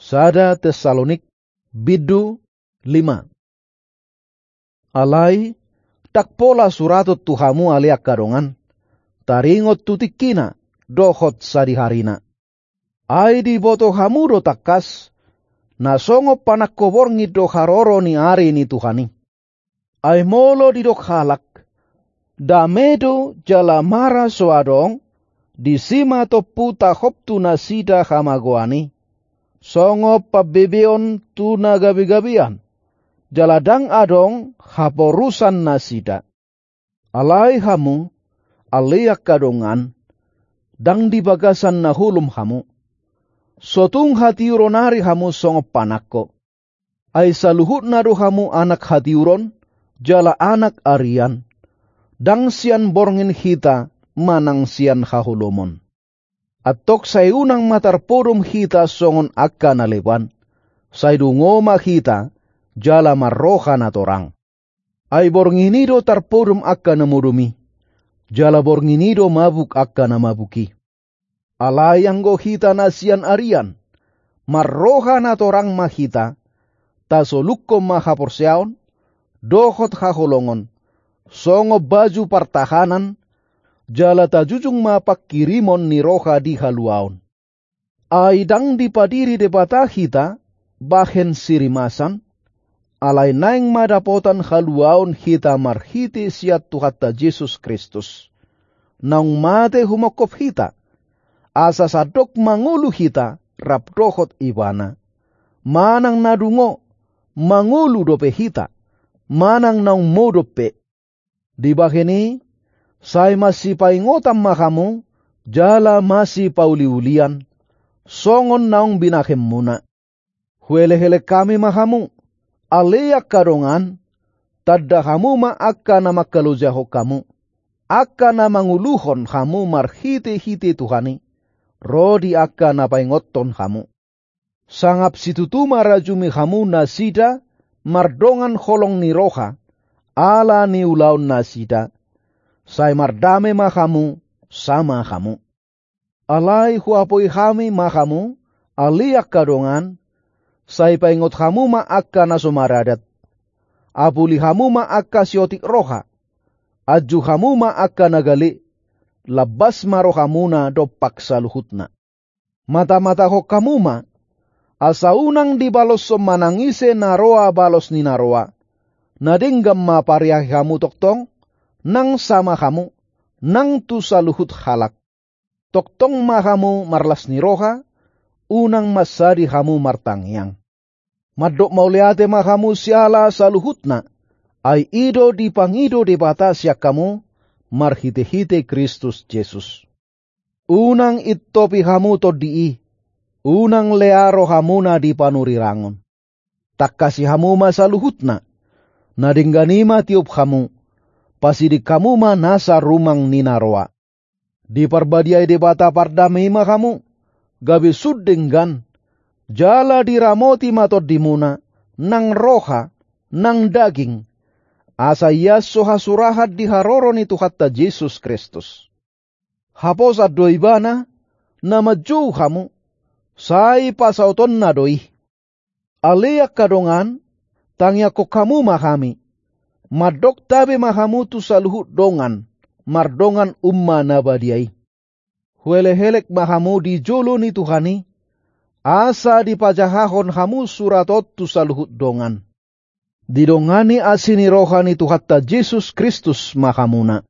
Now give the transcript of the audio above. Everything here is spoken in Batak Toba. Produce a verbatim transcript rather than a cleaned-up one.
Sada Tessalonik, bindu lima. Alai, ndang pola suraton tu hamu ale angka dongan, taringot tu tingkina, dohot sadiharina. Ai diboto hamu do tangkas, na songon panangko borngin do haroro ni ari ni Tuhan i. Ai molo didok halak, dame do jala mara so adong, disi ma tompu tahop tu nasida hamagoan i. Songon pambebeon tu na gabegabean, jala ndang adong haporusan nasida. Alai hamu, ale angka dongan, ndang di bagasan na holom hamu. So tung hatiuron ari hamu songon panangko. Ai saluhutna do hamu anak hatiuron, jala anak arian. Ndang sian borngin hita, manang sian haholomon. Antong sai unang ma tarpodom hita songon angka na leban. Sai dungo ma hita, jala marroha na torang. Ai borngin i do tarpodom angka na modom i, jala borngin i do mabuk angka na mabuk i. Alai anggo hita na sian arian, marroha na torang ma hita, tasolukkon ma haporseaon, dohot haholongon, songon baju partahanan, jala tajujung ma pangkirimon ni roha di haluaon. Ai ndang dipadiri Debata hita, bahen sirimasan, alai naeng ma dapotan haluaon hita marhite sian Tuhanta Jesus Kristus. Naung mate humongkop hita, asa sandok mangolu hita rap dohot Ibana. Manang na dungo, mangolu dope hita, manang naung modom pe. Dibahen i, sai masipaingotan ma hamu, jala masipauliulian, songon naung binahenmuna. Huelehelek hami ma hamu, ale angka dongan, tanda hamu ma angka na mangkalojahon hamu, angka na manguluhon hamu marhitehite Tuhan i, ro di angka na paingothon hamu. Sangap situtu ma rajumi hamu nasida mardongan holong ni roha, ala ni ulaon nasida, sai mardame ma hamu, sama hamu. Alai huapoi hami ma hamu, ale angka dongan, sai paingot hamu ma angka na so maradat. Apuli hamu ma angka siotik roha, anju hamu ma angka na gale, lambas ma rohamuna dompak saluhutna. Matamatahon hamu ma, asa unang dibaloshon manang ise na roa balos ni na roa, na denggan ma pareahi hamu tongtong, nang sama hamu, nang tu saluhut halak. Tongtong ma hamu marlas ni roha, unang mansadi hamu martangiang. Mandok mauliate ma hamu siala saluhutna, ai i do dipangido Debata sian hamu, marhitehite Kristus Jesus. Unang intopi hamu tondi i, unang lea rohamuna di panurirangon. Tangkasi hamu ma saluhutna, na denggan i ma tiop hamu, pasiding hamu ma nasa rumang ni na roa. Diparbadiai Debata pardame i ma hamu, gabe sun denggan, jala diramoti ma tondimuna, nang roha, nang daging, asa ias so hasurahan di haroro ni Tuhanta Jesus Kristus. Haposan do Ibana, na manjou hamu, sai pasautonna do i. Ale angka dongan, tangiangkon hamu ma hami. Mandok tabe ma hamu tu saluhut dongan, mardongan umma na badia i. Huelehelek ma hamu di jolo ni Tuhan i, asa dipajahahon hamu surat on tu saluhut dongan. Didongani asi ni roha ni Tuhanta Jesus Kristus ma hamuna.